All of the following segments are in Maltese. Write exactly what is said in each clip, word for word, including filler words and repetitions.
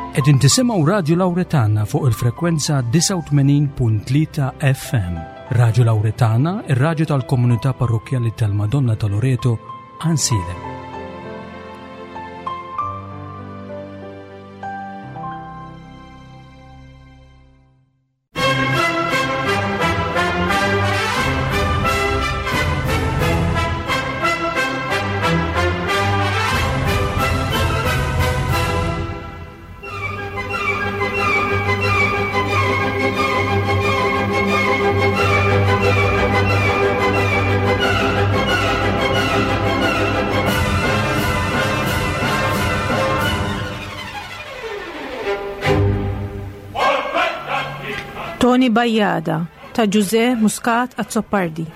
Qegħdin tisimgħu Radju Lawretana fuq il-frekwenza disgħa u tmenin punt tlieta F M. Radju Lawretana, ir-radju tal-komunità parrokkjali tal-Madonna ta' Loreto, Għajnsielem. Toni Bajada ta' Ġużè Muscat Azzopardi.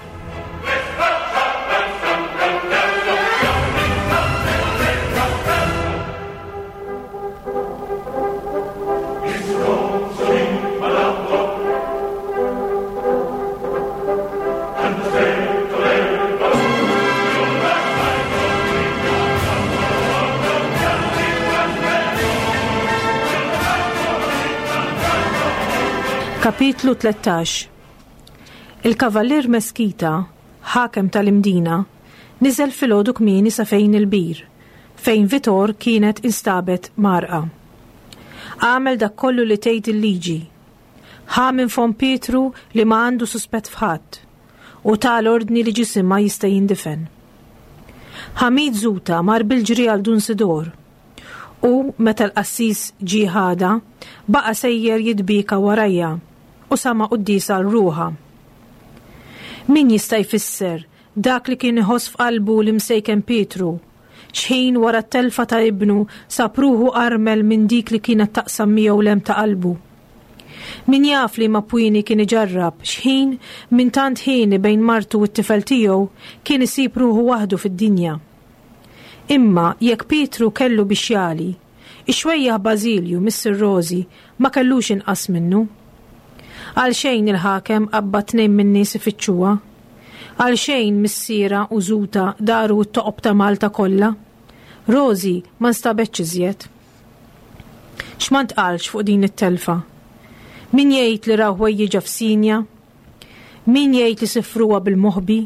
Kapitlu tlettax. Il-Kavallier Meskita, ħakem tal-Imdina, niżel filgħodu kmieni sa fejn il-bir, fejn Vitor kienet instabet marqa. Għamel dak kollu li tgħid il-liġi. Ħa minn fom Pietru li ma għandu suspett f'ħadd u ta l-ordni li ġisimha jista' jindifen. Ħamid Zuta mar bil-ġri għal Dun Sidor u meta l-qassis ġie ħada baqa' sejjer jitbika warajja u sama quddiesa għal ruħha. Min jista' jfisser dak li kien iħoss f'qalbu l-imsejken Pietru, xħin wara t-telfa ta' ibnu sab ruħu armel minn dik li kienet taqsam miegħu l-hemm ta' qalbu. Min jaf li ma pwini kien iġarrab, xħin minn tant ħini bejn martu u t-tifel tiegħu kien isib ruħu waħdu fid-dinja. Imma jekk Pietru kellu biex jali, ix-xwejjaħ Bażilju Missir Rosi ma kellux inqas minnu. Għal xejn il-ħakem qabba tnejn minn nies ifittxuha. Għal xejn missiera u Zuta daru t-toqob ta' Malta kollha. Rosi ma nstabetx iżjed. X'ma ntqalx fuq din it-telfa? Min jgħid li raw ħwejjiġa f'Sinja? Min jgħid li sifruha bil-moħbi?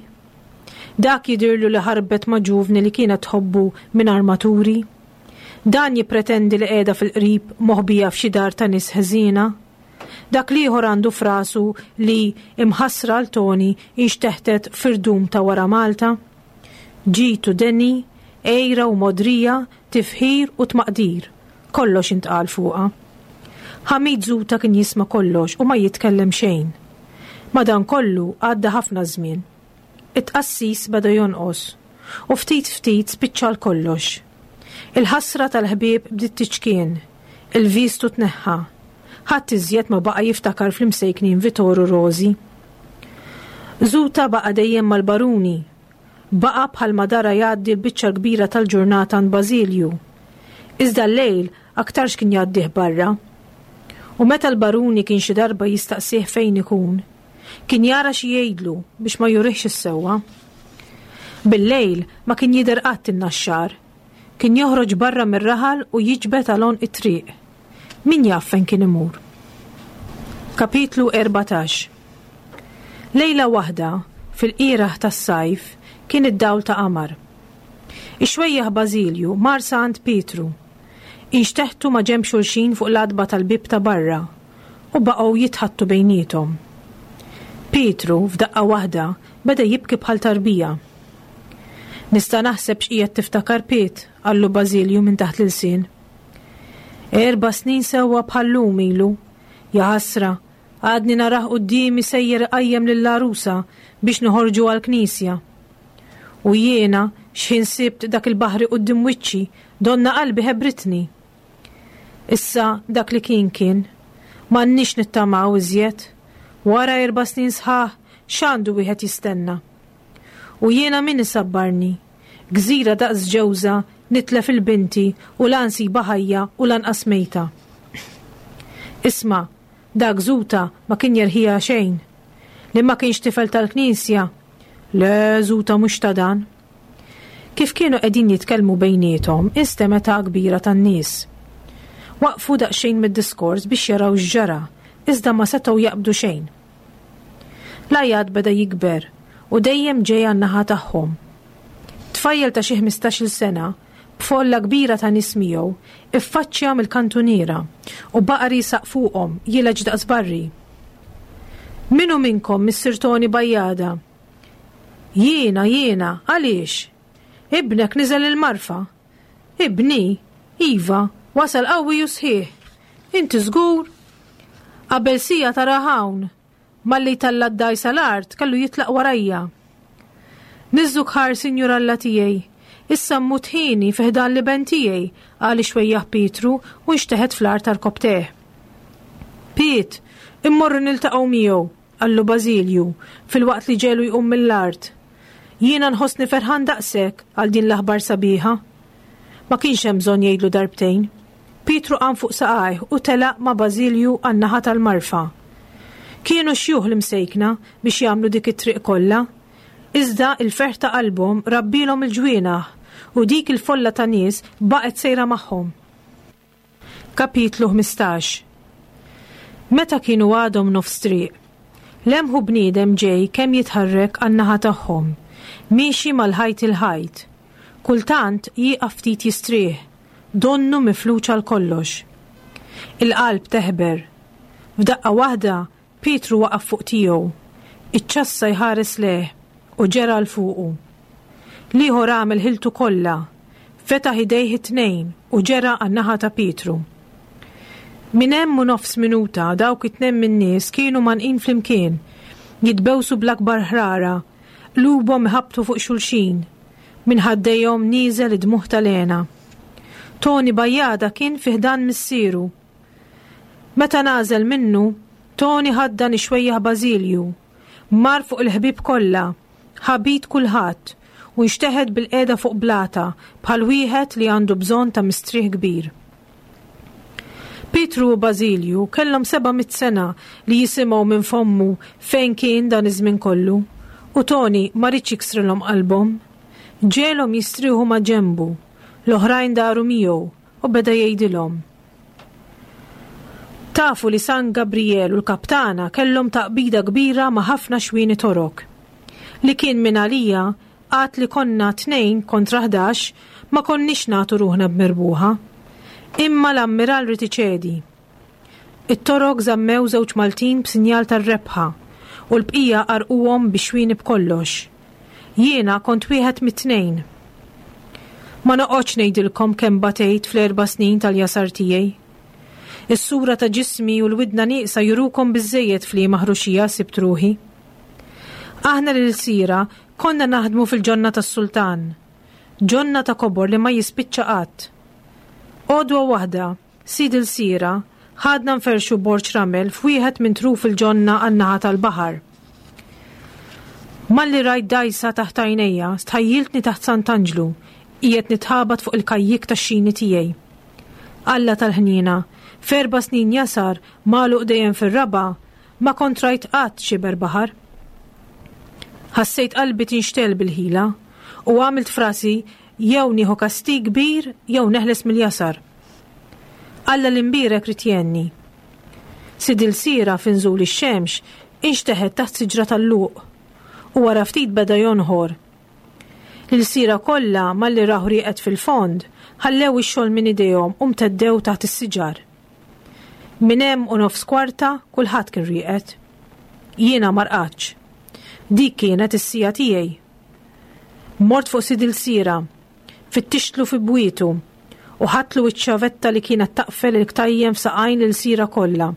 Dak jidirlu li ħarbet ma' ġuvni li kienet tħobbu minn armaturi? Dan jippretendi li qiegħda fil-qrib moħbija f'xi dar ta' nies ħżiena? Dak liħor għandu frasu li imħassra l Toni inxteħtet firdum ta' wara Malta? Ġitu deni, ejra u modrija, tifħir u tmaqdir. Kollox intqal fuqha. Ħamid Zuta kien jisma' kollox u ma jitkellem xejn. Madankollu għadda ħafna żmien. It-tqassis beda jonqos u ftit ftit spiċċa l-kollox. Il-ħasra tal-ħbieb bdiet tiċkien, il-vistu tneħħa. Ħadd iżjed ma baqa' jiftakar fl-imsejknin Vitor u Rosi. Zuta baqa' dejjem mal-baruni. Baqa' bħal madara jgħaddi l-biċċa kbira tal-ġurnata għand Bażilju. Iżda l-lejl aktarx kien jgħaddih barra. U meta l-baruni kien xi darba jistaqsih fejn ikun, kien jara xi jgħidlu biex ma jurihx is-sewwa. Bil-lejl ma kien jidher qatt in-naxxar. Kien joħroġ barra mir-raħal u jiġbed għal għonq it-triq. Min jaf fejn kien imur? Kapitlu erbatax. Lejla waħda, fil-qiraħ tas-sajf, kien id-dawl ta' qamar. Ix-xwejjaħ Bażilju mar sa għand Pietru. Inxteħtu ma' ġenb xulxin fuq l-għatba tal-bib ta' barra u baqgħu jitħattu bejniethom. Pietru, f'daqqa waħda, beda jibki bħal tarbija. Nista' naħseb x'qiegħed tiftakar Piet, qallu Bażilju minn taħt l-ilsien. Erba' snin sewwa bħal-lum ilu. Ja ħasra, għadni narah quddiemi sejjer iqajjem lill-għarusa biex noħorġu għall-knisja. U jiena x'ħin sibt dak il-baħri quddiem wiċċi, donna qalbi ħebritni. Issa dak li kien kien, m'għandniex nittamaw iżjed. Wara erba' snin sħaħ, x'għandu wieħed jistenna? U jiena min isabbarni? Gżira daqs ġewża nitlef il-binti u la nsiba ħajja u lanqas mejta. Isma', dak Zuta ma kien jerħija xejn. Li ma kienx tifel tal-knisja. Le, Zuta mhux ta' dan. Kif kienu qegħdin jitkellmu bejniethom, instemeta kbira tan-nies. Waqfu daqsxejn mid-diskors biex jaraw x'ġara, iżda ma setgħu jaqbdu xejn. L-għajat beda jikber u dejjem ġej għan-naħa tagħhom. Tfajjel ta' xi ħmistax-il sena, b'folla kbira ta' nies miegħu, iffaċċja mill-kantuniera u baqa' riesaq fuqhom jileġ daqs barri. Min hu minnkom Missier Toni Bajjada? Jiena, jiena, għaliex? Ibnek niżel il-marfa. Ibni? Iva, wasal qawwi u sħiħ. Inti żgur? Qabel siegħa tara hawn. Malli tella' d-dgħajsa l-art kellu jitlaq warajja. Niżżuk ħar, Sinjur Alla tiegħi. Issa mmut ħini fi ħdan l-iben tiegħi, qal ix-xwejjaħ Pietru u nxteħet fl-art għarkopptejh. Piet, immorru niltaqgħu miegħu, qallu Bażilju, filwaqt li ġelu jqum mill-art. Jiena nħossni ferħan daqshekk għal din l-aħbar sabiħa. Ma kienx hemm bżonn jgħidlu darbtejn. Pietru qam fuq saqajh u telaq ma' Bażilju għan-naħa tal-marfa. Kienu xjuħ l-imsejkna biex jagħmlu dik it-triq kollha, iżda il-ferħ ta' qalbhom rabbilhom il-ġwienaħ u dik il-folla ta' nies baqgħet sejra magħhom. Kapitlu ħmistax. Meta kienu għadhom nofs triq, lemħu bniedem ġej kemm jitħarrek għan-naħa tagħhom, miexi mal-ħajt il-ħajt. Kultant jieqaf ftit jistrieħ, donnu mifluġ għal kollox. Il-qalb teħber. F'daqqa waħda Pietru waqaf fuq tiegħu, iċ-ċassa jħares lejh u ġera 'l fuqu. L-ieħor għamel ħiltu kollha, fetaħ idejh it-tnejn u ġera għan-naħa ta' Pietru. Minn hemm u nofs minuta dawk it-tnejn min-nies kienu mgħannqin flimkien, jitbewsu bl-akbar ħrara, qlubhom iħabbtu fuq xulxin, minn ħaddejhom nieżel id-dmugħ tal-hena. Toni Bajjada kien fi ħdan missieru. Meta nażel minnu, Toni ħaddan ix-xwejjaħ Bażilju, mar fuq il-ħbieb kollha, ħabit kulħadd u nxteħet bil-qiegħda fuq blata bħal wieħed li għandu bżonn ta' mistrieħ kbir. Pietru u Bażilju kellhom seba' mitt sena li jisimgħu minn fommu fejn kien dan iż-żmien kollu, u Toni ma riedx jiksrilhom qalbhom. Ġegħelhom jistrieħu ma' ġenbu, l-oħrajn daru miegħu u beda jgħidilhom. Tafu li San Gabriel u l-kaptana kellhom taqbida kbira ma' ħafna xwieni torok. Li kien minn għalija għad li konna tnejn kontra ħdax ma konniex nagħtu ruħna b'mirbuħa. Imma l-ammiral ried iċedi. It-torok żammew żewġ Maltin b'sinjal tar-rebħa u l-bqija qarquhom bi xwieni b'kollox. Jiena kont wieħed mit-tnejn. Ma noqgħodx ngħidilkom kemm batejt fl-erba' snin tal-jasar tiegħi. Is-sura ta' ġismi u l-widna nieqsa jurukom biżżejjed f'liema ħruxija sibt ruħi. Aħna l-ilsira konna naħdmu fil-ġonna tas-sultan, ġonna ta' kobor li ma jispiċċa qatt. Għodwa waħda, sid il-sira, ħadna nferxu borġ ramel f'wieħed minn truf il-ġonna għan-naħa tal-baħar. Malli rajt dgħajsa taħt għajnejja, stħajjiltni taħt Sant'Anġlu, qiegħed nitħabat fuq il-kajjik tax-xini tiegħi. Alla tal-ħniena, f'erba' snin jasar magħluq dejjem fir-raba', ma kont rajt qatt xiber baħar. Ħassejt qalbi tinxtel bil-ħila u għamilt frasi jew nieħu kastig kbir jew neħles mill-jasar. Alla l-imbierek ried jgħinni. Sid il-sira f'inżul ix-xemx inxteħet taħt siġra tal-luq u wara ftit beda jonħor. L-ilsira kollha malli raħu rieqed fil-fond ħallew ix-xogħol minn idejhom u mteddew taħt is-siġar. Minn hemm u nofs kwarta kulħadd kien rieqed. Jiena ma rqadx. Dik kienet is-sija tiegħi. Mort fuq sid il-sira, fittixtlu fi bwietu u ħadtlu iċ-ċavetta li kienet taqfel il-ktajjem f'saqajn l-ilsira kollha.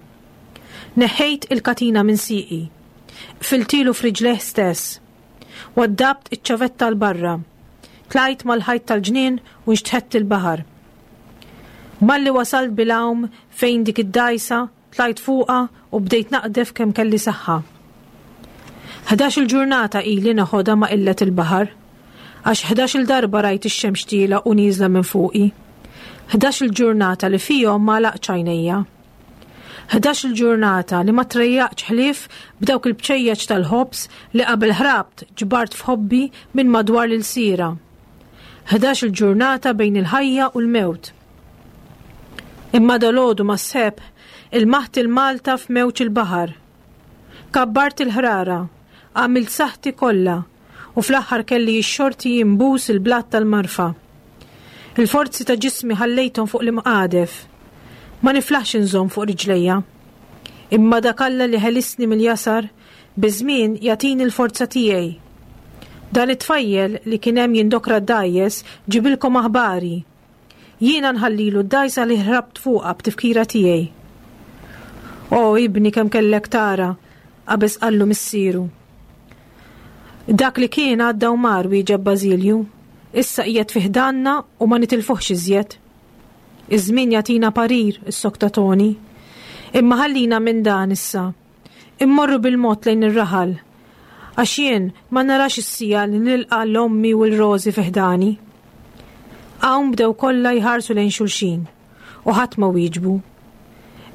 Neħħejt il-katina minn sieqi, qfiltilu f'riġlejh stess. Waddabt iċ-ċavetta 'l barra. Tlajt mal-ħajt tal-ġnien u nxtħett il-baħar. Malli wasalt bil-għawm fejn dik id-dgħajsa, tlajt fuqha u bdejt naqdef kemm kelli saħħa. Ħdax-il ġurnata ili naħodha ma' qillet il-baħar, għax ħdax-il darba rajt ix-xemx tiela u nieżla minn fuqi. Ħdax-il ġurnata li fihom ma laqtx għajnejja. Ħdax-il ġurnata li ma trejjaqx ħlief b'dawk il-bċejjeċ tal-ħobż li qabel ħrabt ġbart f'ħobbi minn madwar l-ilsira. Ħdax-il ġurnata bejn il-ħajja u l-mewt. Imma dalgħodu mas-sebħ ilmaħt il-Malta f'mewġ il-baħar. Kabbart il-ħrara, għamilt saħti kollha u fl-aħħar kelli x-xorti jimbus il-blat tal-marfa. Il-forzi ta' ġismi ħallejthom fuq l-imqadef. Ma niflaħx inżomm fuq riġlejja. Imma dak Alla li ħelisni mill-jasar, biż-żmien jagħtini l-forza tiegħi. Dan it-tfajjel li kien hemm jindokra d-dgħajjes ġibilkom aħbari. Jiena nħallilu d-dgħajsa li ħrabt fuqha b'tifkira tiegħi. O ibni kemm kellek tara, qabeż qallu missieru. Dak li kien għadda u mar wieġeb Bażilju, issa qiegħed fi ħdanna u ma nitilfuhx iżjed. Iż-żmien jagħtina parir, issokta Toni. Imma ħallina minn dan issa. Immorru bil-mod lejn ir-raħal. Għax jien ma narax is-siegħa li nilqa' l-ommi u l-Rożi fi ħdani. Hawn bdew kollha jħarsu lejn xulxin u ħadd ma wieġbu.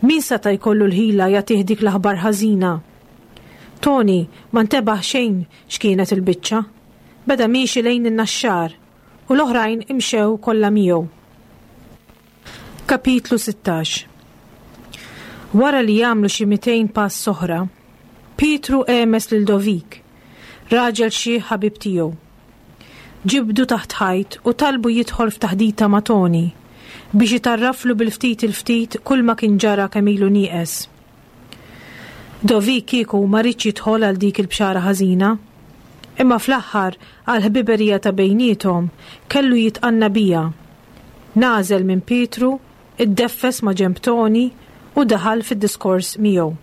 Min seta' jkollu l-ħila jagħtih dik l-aħbar ħażina? Toni ma ntebaħ xejn x'kienet il-biċċa. Beda miexi lejn in-naxxar u l-oħrajn imxew kollha miegħu. Kapitlu sittax. Wara li jagħmlu xi mitejn pass oħra, Pietru għemes lil Dovik, raġel xi ħabib tiegħu. Ġibdu taħt ħajt u talbu jidħol f'taħdita ma' Toni biex jitarraflu bil-ftit il-ftit kull ma kien ġara kemm ilu nieqes. Dovik kieku ma riedx jidħol għal dik il-bxara ħażina, imma fl-aħħar għal ħbiberija ta' bejniethom kellu jitqanna bija. Nażel minn Pietru, iddeffes ma' ġenb Toni u daħal fid-diskors miegħu.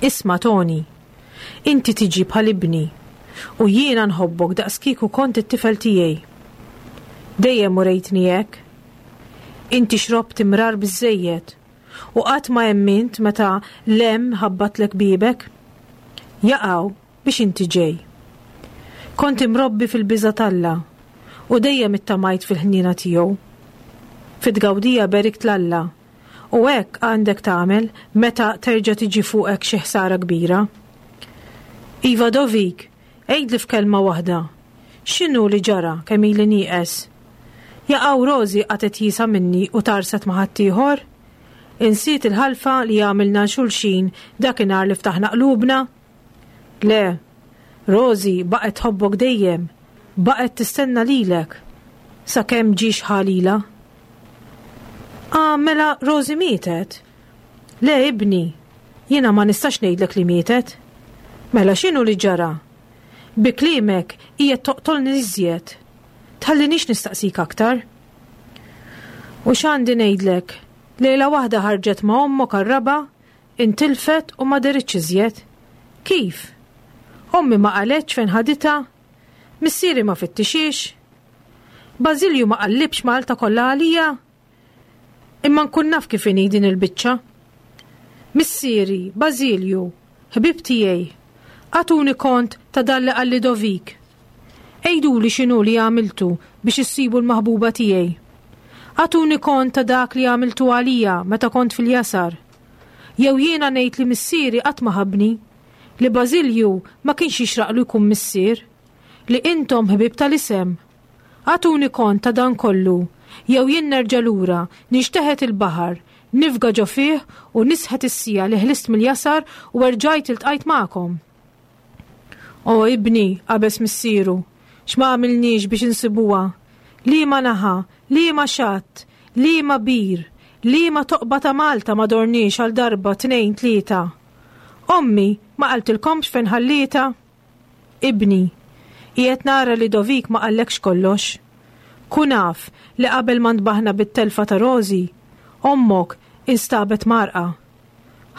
Isma' Toni, inti tiġi bħal ibni u jiena nħobbok daqs kieku kont it-tifel tiegħi. Dejjem urejtni hekk. Inti xrobt imrar biżżejjed u qatt ma emmint meta l-hemm ħabbatlek bibek. Jaqaw biex inti ġej. Kont imrobbi fil-biża' t'Alla u dejjem ittamajt fil-ħniena tiegħu. Fit-tgawdija berikt l-Alla u hekk għandek tagħmel meta terġa' tiġi fuqek xi ħsara kbira. Iva Dovik, għidli f'kelma waħda. X'inhu li ġara kemm ili nieqes? Jaqaw Rożi qatgħet jisa minni u tarset ma' ħaddieħor? Insiet il-ħalfa li għamilna xulxin dakinhar li ftaħna qlubna? Le, Rożi baqgħet tħobbok dejjem, baqgħet tistenna lilek, sakemm ġiex ħalila. Ah, mela Rożi mietet? Le, ibni, jiena ma nistax ngħidlek li mietet. Mela x'inhu li ġara? Bi kliemek qiegħed toqtolni iżjed. Tħallinix nistaqsik aktar. U x'għandi ngħidlek? Lejla waħda ħarġet ma' ommok għar-raba', intilfet u ma deritx iżjed. Kif? Ommi ma qaletx fejn ħaditha? Missieri ma fittixiex? Bażilju ma qallibx Malta kollha għalija? Imma nkun naf kif inhi din il-biċċa. Missieri, Bażilju, ħbib tiegħi, agħtuni kont ta' dan li qalli Dovik. Għiduli x'inhu li għamiltu biex issibu l-maħbuba tiegħi. Agħtuni kont ta' dak li għamiltu għalija meta kont fil-jasar. Jew jiena ngħid li missieri qatt ma ħabni, li Bażilju ma kienx jixraqlu jkun missier, li intom ħbieb tal-isem. Agħtuni kont ta' dan kollu, jew jien nerġa' lura, nixteħet il-baħar, nifga ġo fih u nisħet is-sija li ħlist mill-jasar u erġajt iltqajt magħkom. O ibni, qabeż missieru, x'ma għamilniex biex insibuha? Liema naħa, liema xatt, liema bir, liema toqba ta' Malta ma dorniex għal darba tnejn tlieta. Ommi ma qaltilkomx fejn ħallietha? Ibni, qiegħed nara li Dovik ma qallekx kollox. Kun af li qabel ma ntbaħna bit-telfa ta' Rożi, ommok instabet marqa.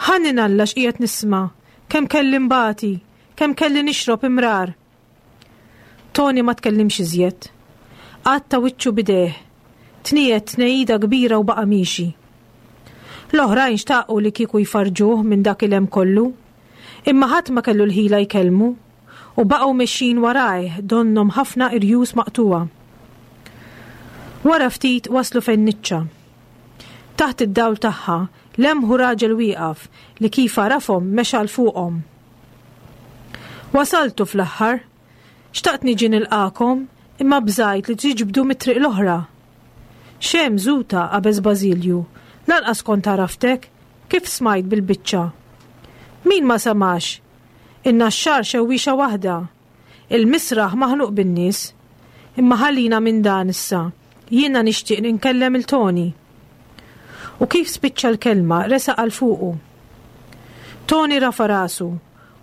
Ħannin Alla x'qiegħed nisma', kemm kelli mbati, kemm kelli nixrob imrar. Toni ma tkellimx iżjed. Għatta wiċċu bidejh. Tniet tnejida kbira u baqa' miexi. L-oħrajn xtaqu li kieku jfarġuh minn dak il-hemm kollu, imma ħadd ma kellu l-ħila jkellmu u baqgħu mexjin warajh donhom ħafna irjus maqtuwa. Wara ftit waslu fejn niċċa. Taħt id-dawl tagħha lemħu raġel wieqaf li kif għarafhom mexa 'l fuqhom. Wasaltu fl-aħħar, xtaqt niġi nilqakom imma bżajt li tiġbdu mit-triq l-oħra. X'hemm Zuta, qabeż Bażilju, lanqas kont għaraftek, kif smajt bil-biċċa? Min ma samax? In-Naxxar xewwiexa waħda. Il-misraħ maħnuq bin-nies. Imma ħallina minn dan issa. Jiena nixtieq ninkellem il Toni. U kif spiċċa l-kelma resaq għal fuqu. Toni rafa rasu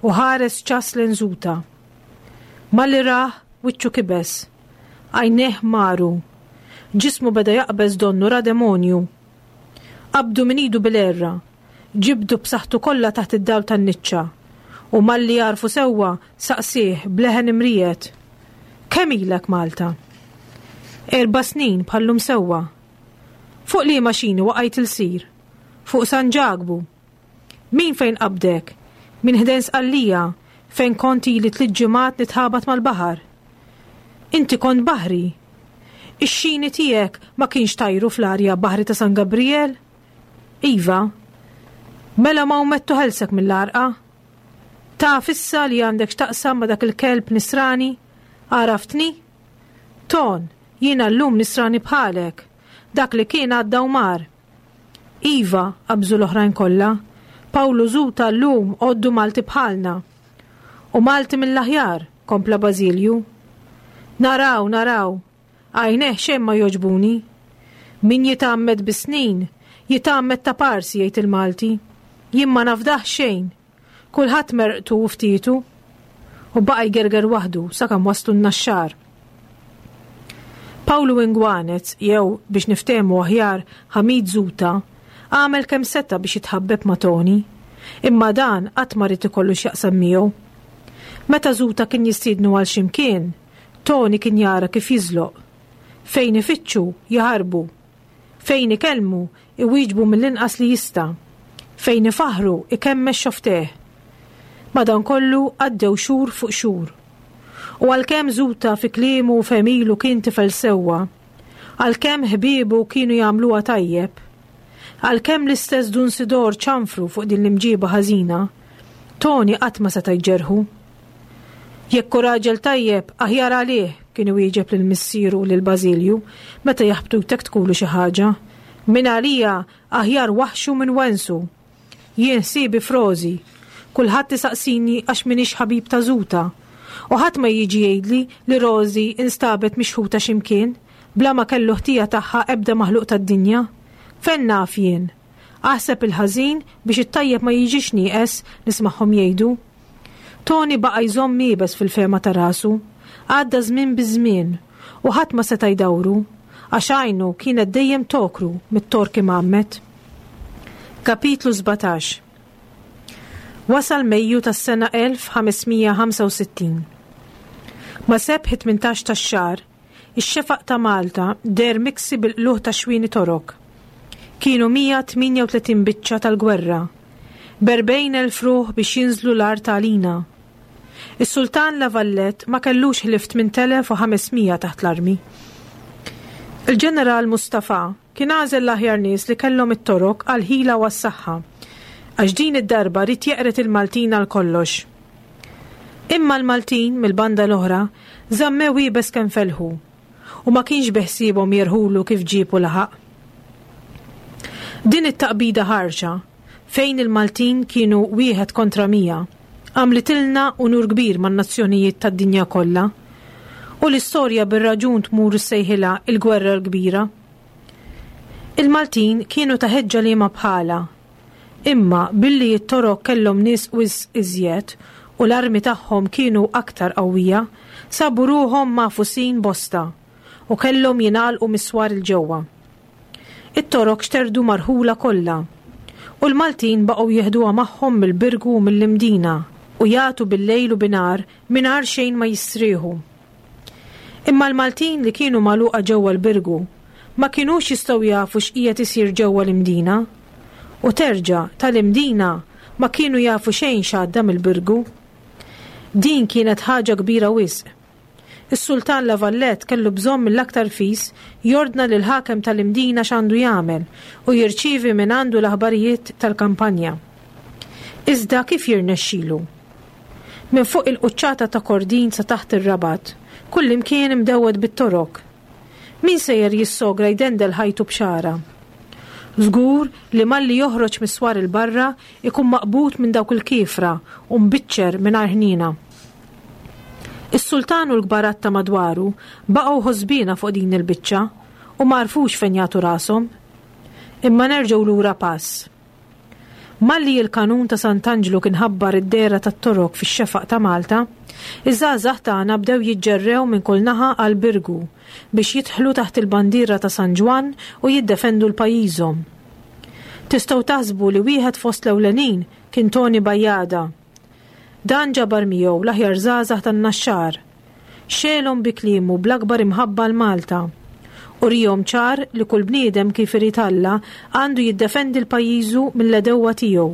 u ħares ċas lejn Zuta. Malli rah wiċċu kibes. Għajnejh maru. Ġismu beda jaqbeż donnu ra demonju. Qabdu minn idu bil-erra. Ġibdu b'saħħtu kollha taħt id-dawl tan-niċċa. U malli għarfu sewwa saqsieh b'leħen imriegħed. Kemm ilek Malta? Erba' snin bħallum sewwa. Fuq liema xini waqajt ilsir? Fuq San Ġakbu. Min fejn qabdek? Min ħdejn Sqallija fejn kont ili tliet ġimgħat nitħabat mal-baħar. Inti kont baħri. Ix-xini tiegħek ma kienx tajru fl-arja baħri ta' San Gabriel? Iva. Mela ma umettu ħelsek mill-għarqa? Taf issa li għandek x'taqsam ma' dak il-kelb nisrani? Għaraftni? Ton, jiena llum nisrani bħalek. Dak li kien għadda u mar. Iva, qabżu l-oħrajn kollha. Pawlu Zuta llum għoddu Malti bħalna. U Malti mill-aħjar, kompla Bażilju. Naraw, naraw, għajnejh xejn ma jogħġbuni. Min jitgħammed bis-snin, jitgħammed ta' parsi, jgħid il-Malti. Jien ma nafdaħ xejn. Kulħadd merqtu u ftitu. U baqa' jgerger waħdu sakemm waslu n-Naxxar. Pawlu Ingwanez, jew biex niftehmu aħjar Ħamid Zuta, għamel kemm seta' biex jitħabbeb ma' Toni. Imma dan qatt ma ried ikollu x'jaqsam miegħu. Meta Zuta kien jistiednu għal x'imkien, Toni kien jara kif jiżloq. Fejn ifittxu, jaħarbu. Fejn ikellmu, iwieġbu mill-inqas li jista'. Fejn ifaħru, ikemmex xofftejh. Madankollu għaddew xhur fuq xhur. U għalkemm Zuta fi kliemu u f'għemilu kien tifel sewwa, għalkemm ħbiebu kienu jagħmluha tajjeb, għalkemm l-istess Dun Sidor ċanfru fuq din l-imġiba ħażina, Toni qatt ma seta' jġerħu. Jekk hu raġel tajjeb, aħjar għalih, kien iwieġeb lil missieru u lil Bażilju meta jaħbtu jtektkulu xi ħaġa. Min għalija aħjar waħxu minn wensu. Jien ħsiebi f'Rożi. Kulħadd isaqsini għax m'iniex ħabib ta' Zuta. U ħadd ma jiġi jgħidli li Rożi instabet mixħuta x'imkien, bla ma kellu ħtija tagħha ebda maħluq tad-dinja. Fejn naf jien? Aħseb il-ħażin biex it-tajjeb ma jiġix nieqes, nismagħhom jgħidu. Toni baqa' jżomm iebes fil-fehma ta' rasu. Għadda żmien biż-żmien u ħadd ma seta' jdawru, għax għajnu kienet dejjem tokru mit-torki mgħammed. Kapitlu sbatax. Wasal Mejju tas-sena elf ħamesmija ħamsa u sittin. Ma' sebħ tmintax tax-xahar, ix-xefaq ta' Malta deher miksi bil-qluħ ta' xwieni torok. Kienu mija tmienja u tletin biċċa tal-gwerra, b'erbgħin elf ruħ biex jinżlu l-art għalina. Is-Sultan La Valette ma kellux ħlief tmien elef u ħamesmija taħt l-armi. Il-ġeneral Mustafa kien għażel l-aħjar nies li kellhom it-torok għal ħila u għas-saħħa, għax din id-darba ried jeqret il-Maltin għal kollox. Imma l-Maltin mill-banda l-oħra żammew iebes kemm felħu u ma kienx beħsiebhom jerħulu kif ġiebu laħaq. Din it-taqbida ħarxa, fejn il-Maltin kienu wieħed kontra mija, għamlitilna unur kbir man-nazzjonijiet tad-dinja kollha, u l-istorja bir-raġun tmur issejħilha il-Gwerra l-Kbira. Il-Maltin kienu ta' ħeġġa liema bħala, imma billi t-torok kellhom nies wisq iżjed u l-armi tagħhom kienu aktar qawwija, sabu ruħhom magħfusin bosta u kellhom jingħalqu miswar il-ġewwa. It-torok xterdu marħula kollha u l-Maltin baqgħu jeħduha magħhom mill-Birgu u mill-Imdina u jagħtu bil-lejl u binhar mingħajr xejn ma jistrieħu. Imma l-Maltin li kienu magħluqa ġewwa l-Birgu ma kinux jistgħu jafu x'qiegħed isir ġewwa l-Imdina, u terġa' tal-Imdina ma kienu jafu xejn x'għadda mill-Birgu. Din kienet ħaġa kbira wisq. Is-Sultan La Valette kellu bżonn mill-aktar fis jordna lil ħakem tal-Imdina x'għandu jagħmel u jirċievi minn għandu l-aħbarijiet tal-kampanja. Iżda kif jirnexxilu? Minn fuq il-quċċata ta' Kordin sa taħt ir-Rabat, kullimkien imdewwed bit-torok. Min sejjer jissogra jdendel ħajtu b'xara? Żgur li malli joħroġ mis-swar il-barra ikun maqbud minn dawk il-kiefra u mbiċċer mingħajr ħniena. Is-sultan u l-kbarat ta' madwaru baqgħu ħosbina fuq din il-biċċa u ma għarfux fejn jagħtu rashom. Imma nerġgħu lura pass. Malli il-kanun ta' Sant'Anġlu kien ħabbar id-dehra tat-Torok fix-xefaq ta' Malta, iż-żgħażagħ tagħna bdew jiġġerrew minn kull naħa għal Birgu biex jidħlu taħt il-bandiera ta' San Ġwann u jiddefendu l-pajjiżhom. Tistgħu taħsbu li wieħed fost l-ewlenin kien Toni Bajjada. Dan ġabar miegħu l-aħjar żgħażagħ tan-Naxxar. Xegħelhom bi kliemu bl-akbar imħabba 'l Malta. Urihom ċar li kull bniedem kif irid Alla għandu jiddefendi l-pajjiżu mill-għedewwa tiegħu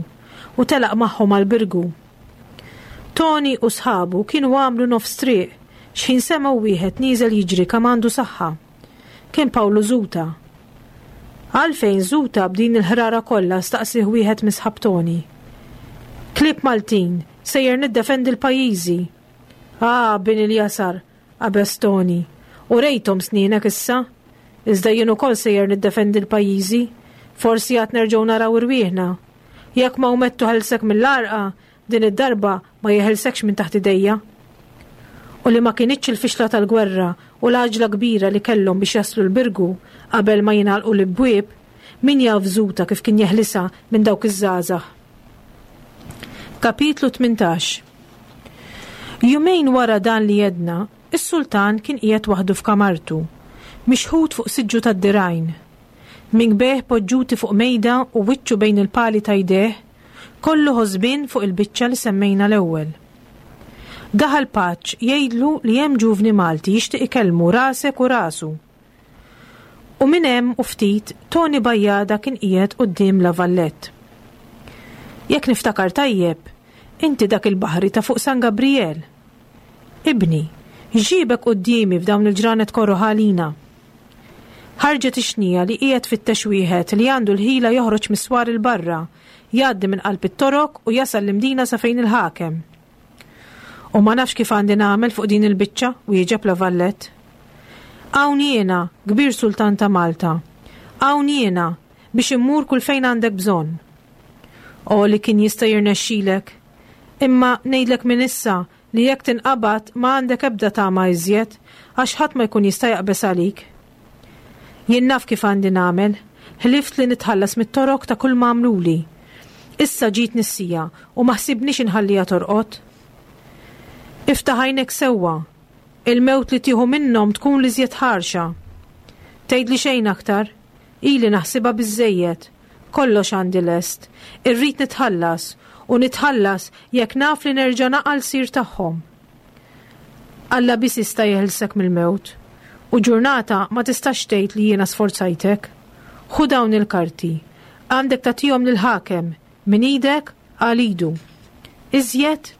u telaq magħhom għal Birgu. Toni u sħabu kienu għamlu nofs triq x'ħin semgħu wieħed nieżel jiġri kemm għandu saħħa. Kien Pawlu Żuta. Għalfejn Żuta b'din il-ħrara kollha staqsih wieħed minn sħab Toni. Klieb Maltin, sejjer niddefendi l-pajjiżi. Ah, bin il-jasar, qabeż Toni. U rejthom snienek issa. Iżda jien ukoll sejjer niddefendi l-pajjiżi. Forsi għad nerġgħu naraw irwieħna. Jekk ma umettu ħelsek mill-għarqa, din id-darba ma jeħelsekx minn taħt idejja. U li ma kinitx il-fixla tal-gwerra u l-għaġla kbira li kellhom biex jaslu l-Birgu qabel ma jingħalqu l-ibwieb, min jaf Żuta kif kien jeħlisha minn dawk iż-żgħażagħ. Kapitlu tmintax. Jumejn wara dan li jedna, is-sultan kien qiegħed waħdu f'kamartu, mixħut fuq siġġu tad-dirgħajn. Minkbejh poġġuti fuq mejda u wiċċu bejn il-pali ta' jdejh, kollu ħosbien fuq il-biċċa li semmejna l-ewwel. Daħal paċ jgħidlu li hemm ġuvni Malti jixtieq ikellmu rasek u rasu. U minn hemm u ftit Toni Bajjada kien qiegħed quddiem La Vallette. Jekk niftakar tajjeb, inti dak il-baħri ta' fuq San Gabriel. Ibni, x'ġiebek quddiemi f'dawn il-ġranet korroħ għalina? Ħarġet ix-xnija li qiegħed fittex wieħed li għandu l-ħila joħroġ mis-swar il-barra, jgħaddi minn qalb it-torok u jasal l-Imdina sa fejn il-ħakem. U ma nafx kif għandi nagħmel fuq din il-biċċa, wieġeb La Vallette. Hawn jiena, kbir sultan ta' Malta. Hawn jiena biex immur kull fejn għandek bżonn. O li kien jista' jirnexxilek. Imma ngħidlek minn issa li jekk tinqabad ma għandek ebda tama iżjed, għax ħadd ma jkun jista' jaqbeż għalik. Jien naf kif għandi nagħmel, ħlift li nitħallas mit-torok ta' kull ma għamluli. Issa ġiet nissija u ma ħsibniex inħalliha torqod. Iftaħ għajnek sewwa, il-mewt li tieħu minnhom tkun li żjed ħarxa. Tgħidli xejn aktar, ili naħsibha biżżejjed, kollox għandi lest, irrid nitħallas u nitħallas jekk naf li nerġa' naqal sir tagħhom. Alla biss jista' jeħilsek mill-mewt, u ġurnata ma tistax tgħid li jiena sforzajtek. Ħu dawn il-karti, għandek tagħtihom lill-ħakem minn idek għal idu. Iżjed,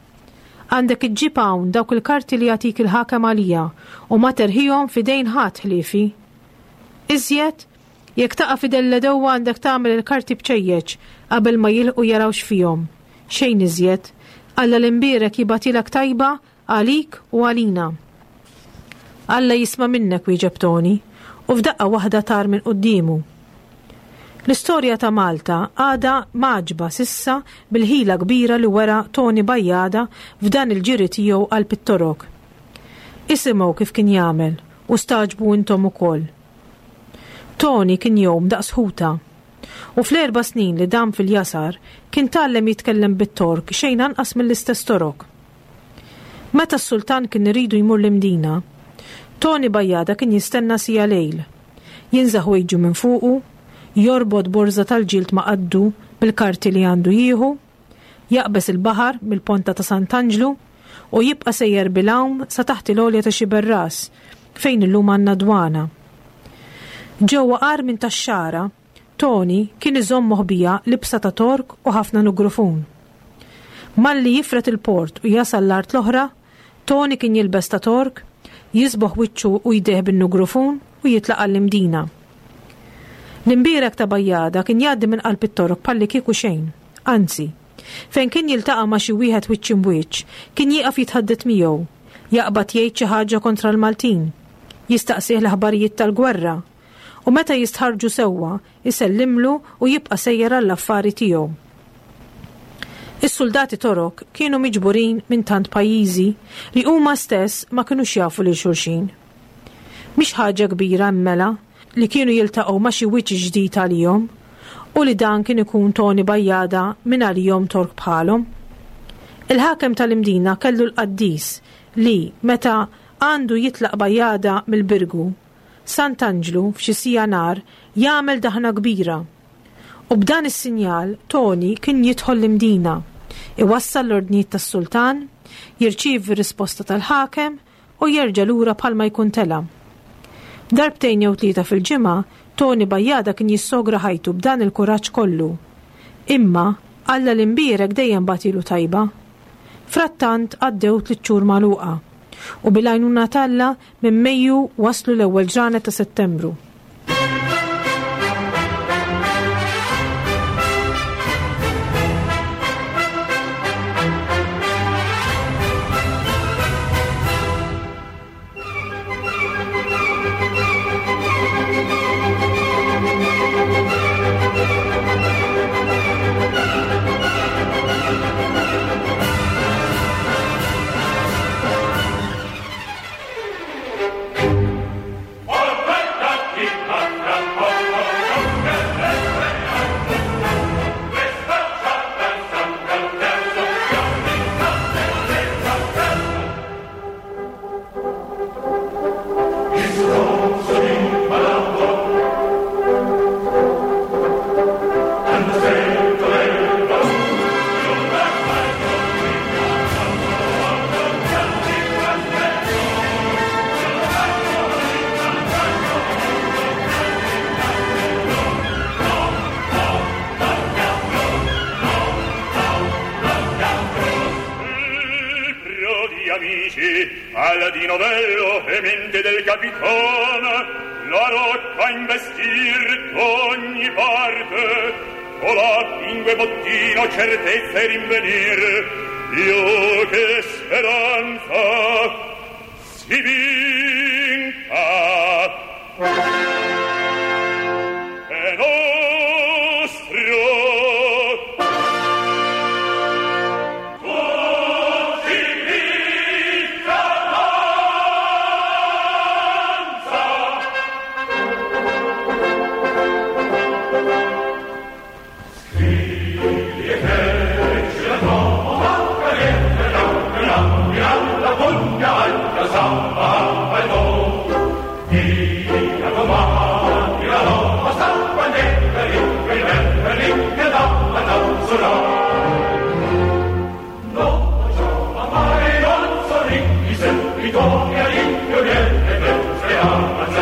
għandek iġġib hawn dawk il-karti li jagħtik il-ħakem għalija u ma terħihom f'idejn ħadd ħliefi. Iżjed, jekk taqa' f'idel l-għedewwa għandek tagħmel il-karti bċejjeċ qabel ma jilħqu jaraw x'fihom. Xejn iżjed, Alla l-imbierek jibgħatilek tajba għalik u għalina. Alla jisma' minnek, wieġeb Toni, u f'daqqa waħda tar minn quddiemu. L-istorja ta' Malta għadha maġba sissa bil-ħila kbira li wera Toni Bajjada f'dan il-ġiri tiegħu għal Pittorok. Isimgħu kif kien jagħmel u staġbu intom ukoll. Toni kien jgħum daqs ħuta. U fl-erba' snin li dam fil-jasar kien tgħallem jitkellem bit-Tork xejn anqas mill-istess Torok. Meta s-sultan kien iridu jmur l-Imdina, Toni Bajjada kien jistenna sija lejl. Jinżaħ wejġu minn fuqu, jorbot borża tal-ġild ma' qaddu bil-karti li għandu jieħu, jaqbeż il-baħar mill-ponta ta' Sant'Anġlu u jibqa' sejjer bil-għawm sa taħt il-għolja ta' Xiberras, fejn illum għandna dwana. Ġewwa qar minn tax-xagħra, Toni kien iżomm moħbija libsa ta' tork u ħafna nugrufun. Malli jifret il-port u jasal l-art l-oħra, Toni kien jilbes ta' tork, jisboħ wiċċu u jdejh bin-nugrufun u jitlaq għall-Imdina. L-imbierek ta' Bajjada kien jgħaddi minn qalb it-torok palli kieku xejn, anzi, fejn kien jiltaqa' ma' xi wieħed wiċċ imbwiċċ, kien jieqaf jitħaddet miegħu, jaqbad jgħid xi ħaġa kontra l-Maltin, jistaqsih l-aħbarijiet tal-gwerra, u meta jistħarġu sewwa isellimlu u jibqa' sejjer għall-affari tiegħu. Is-soldati Torok kienu miġburin minn tant pajjiżi li huma stess ma kinux jafu lil xulxin. Mhix ħaġa kbira mmela li kienu jiltaqgħu ma' xi wiċċ ġdid għalihom u li dan kien ikun Toni Bajjada minn għalihom Tork bħalhom. Il-ħakem tal-Imdina kellu l-qaddis li meta għandu jitlaq Bajjada mill-Birgu, Sant'Anġlu f'xi sija nar jagħmel daħna kbira. U b'dan is-sinjal Toni kien jidħol l-Imdina, iwassal l-ordnijiet tas-sultan, jirċievi risposta tal-ħakem u jerġa' lura bħalma jkun tela. Darbtejn jew tlieta fil-ġimgħa, Toni Bajjada kien jissogra ħajtu b'dan il-kuraġġ kollu. Imma Alla l-imbierek dejjem bagħtilu tajba. Frattant għaddew tliet xhur magħluqa u bil-għajnuna t'Alla minn Mejju waslu l-ewwel ġranet ta' Settembru. Del capitano la rocca investir d'ogni parte con la pingue bottino certezza e rinvenir io che speranza si vinca è nostro. Vittoria in più niente, se avanza,